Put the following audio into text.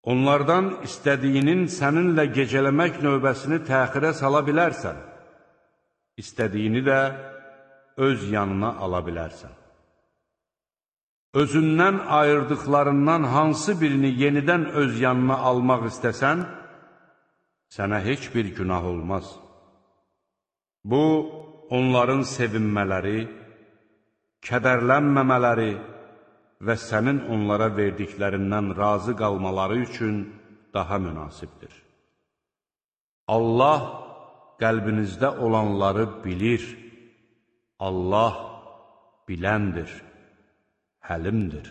Onlardan istədiyinin səninlə gecələmək növbəsini təxirə sala bilərsən, istədiyini də öz yanına ala bilərsən. Özündən ayırdıqlarından hansı birini yenidən öz yanına almaq istəsən, sənə heç bir günah olmaz. Bu, onların sevinmələri, kədərlənməmələri və sənin onlara verdiklərindən razı qalmaları üçün daha münasibdir. Allah qəlbinizdə olanları bilir. Allah biləndir, həlimdir.